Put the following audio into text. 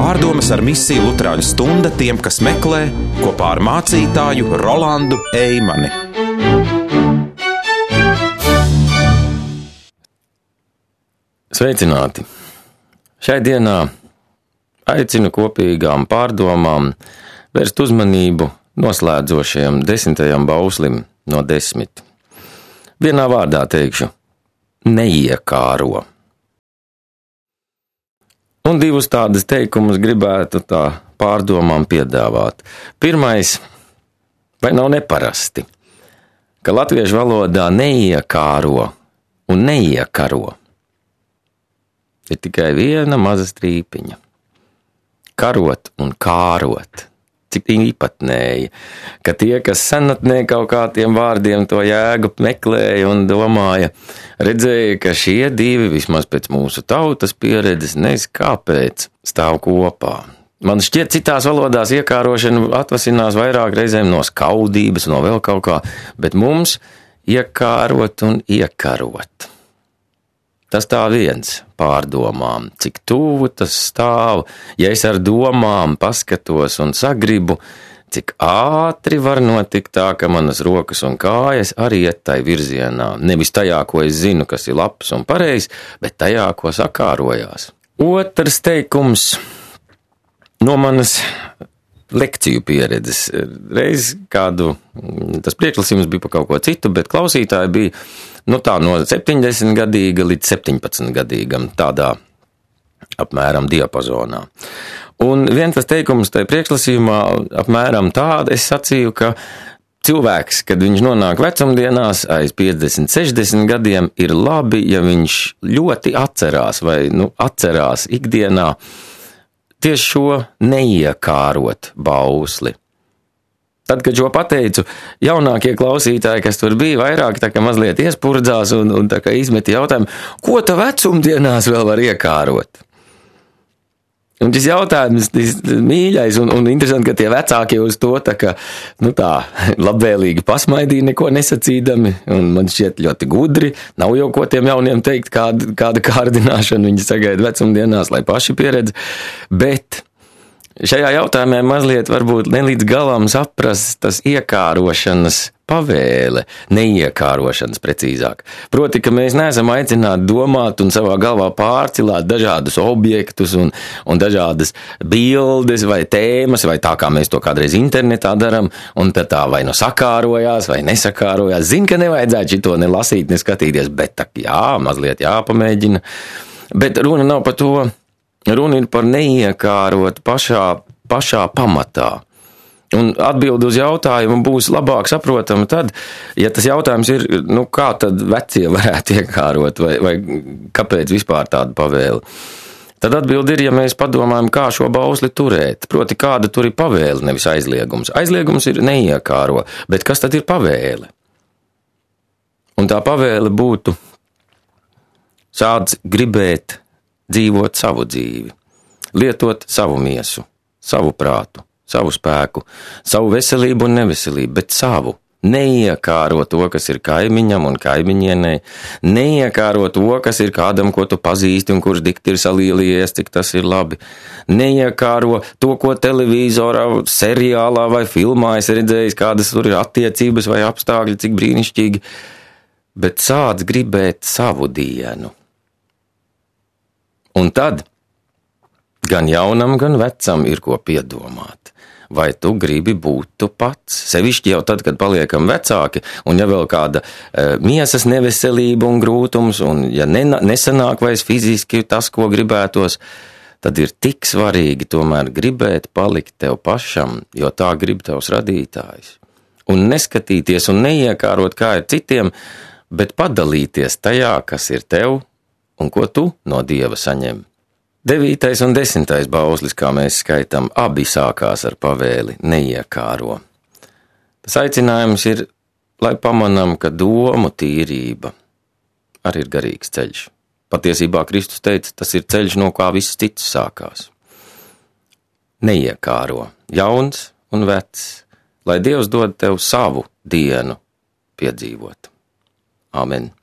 Pārdomas ar misiju Luterāņu stunda tiem, kas meklē, kopā ar mācītāju Rolandu Eimani. Sveicināti! Šai dienā aicinu kopīgām pārdomām vērst uzmanību noslēdzošajam 10. bauslim no 10. Vienā vārdā teikšu – neiekāro. Un divus tādus teikumus gribētu tā pārdomām piedāvāt. Pirmais, vai nav neparasti, ka latviešu valodā neiekāro un neiekaro ir tikai viena maza strīpiņa. Karot un kārot. Cik īpatnēji, ka tie, kas senatnē kaut kā tiem vārdiem to jēgu meklēja un domāja, redzēja, ka šie divi, vismaz pēc mūsu tautas pieredzes, nezinu kāpēc, stāv kopā. Man šķiet, citās valodās iekārošana atvasinās vairāk reizēm no skaudības, no vēl kaut kā, bet mums iekārot un iekarot. Tas tā viens pārdomām, cik tuvu tas stāv, ja es ar domām paskatos un sagribu, cik ātri var notikt tā, ka manas rokas un kājas arī iet tai virzienā. Nevis tajā, ko es zinu, kas ir labs un pareizs, bet tajā, ko sakārojās. Otrs teikums no manas lekciju pieredzes. Reiz kādu, tas priekšlasījums bija par kaut ko citu, bet klausītāji bija no 70-gadīga līdz 17-gadīgam, tādā apmēram diapazonā. Un viens tas teikums tajā priekšlasījumā apmēram tāda, es sacīju, ka cilvēks, kad viņš nonāk vecumdienās aiz 50, 60 gadiem, ir labi, ja viņš ļoti atcerās vai atcerās ikdienā tieši šo neiekārot bausli. Tad, kad šo pateicu, jaunākie klausītāji, kas tur bija, vairāk tā kā mazliet iespurdzās un tā kā izmeti jautājumu, ko ta vecumdienās vēl var iekārot? Un šis jautājums mīļais un interesanti, ka tie vecākie uz to tā kā, tā labvēlīgi pasmaidīja, neko nesacīdami, un man šķiet ļoti gudri, nav jau ko tiem jauniem teikt, kāda kārdināšana viņi sagaida vecumdienās, lai paši pieredz, bet šajā jautājumā mazliet varbūt ne līdz galam saprast tas iekārošanas pavēle, neiekārošanas precīzāk. Proti, ka mēs neesam aicināti domāt un savā galvā pārcilāt dažādus objektus un dažādas bildes vai tēmas, vai tā kā mēs to kādreiz internetā daram, un tad tā vai sakārojās vai nesakārojās. Zin, ka nevajadzētu šito ne lasīt, ne skatīties, bet mazliet jāpamēģina. Bet runa nav par to. Runa ir par neiekārot pašā pamatā. Un atbildi uz jautājumu būs labāk saprotama tad, ja tas jautājums ir, kā tad vecie varētu iekārot vai kāpēc vispār tāda pavēle. Tad atbildi ir, ja mēs padomājam, kā šo bausli turēt, proti kāda tur ir pavēle, nevis aizliegums. Aizliegums ir neiekāro, bet kas tad ir pavēle? Un tā pavēle būtu sāc gribēt dzīvot savu dzīvi, lietot savu miesu, savu prātu, savu spēku, savu veselību un neveselību, bet savu. Neiekāro to, kas ir kaimiņam un kaimiņienei, neiekāro to, kas ir kādam, ko tu pazīsti un kurš dikti ir salīlies, cik tas ir labi. Neiekāro to, ko televīzorā, seriālā vai filmā es redzējis, kādas tur ir attiecības vai apstākļi, cik brīnišķīgi, bet sāc gribēt savu dienu. Un tad gan jaunam, gan vecam ir ko piedomāt. Vai tu gribi būt tu pats? Sevišķi jau tad, kad paliekam vecāki, un ja vēl kāda miesas neveselība un grūtums, un ja nesanāk vairs fiziski tas, ko gribētos, tad ir tik svarīgi tomēr gribēt palikt tev pašam, jo tā grib tavs radītājs. Un neskatīties un neiekārot, kā ir citiem, bet padalīties tajā, kas ir tev, un ko tu no Dieva saņem. 9. un 10. bauslis, kā mēs skaitam, abi sākās ar pavēli neiekāro. Tas aicinājums ir, lai pamanam, ka domu tīrība arī ir garīgs ceļš. Patiesībā Kristus teica, tas ir ceļš, no kā viss cits sākās. Neiekāro, jauns un vecs, lai Dievs dod tev savu dienu piedzīvot. Āmen.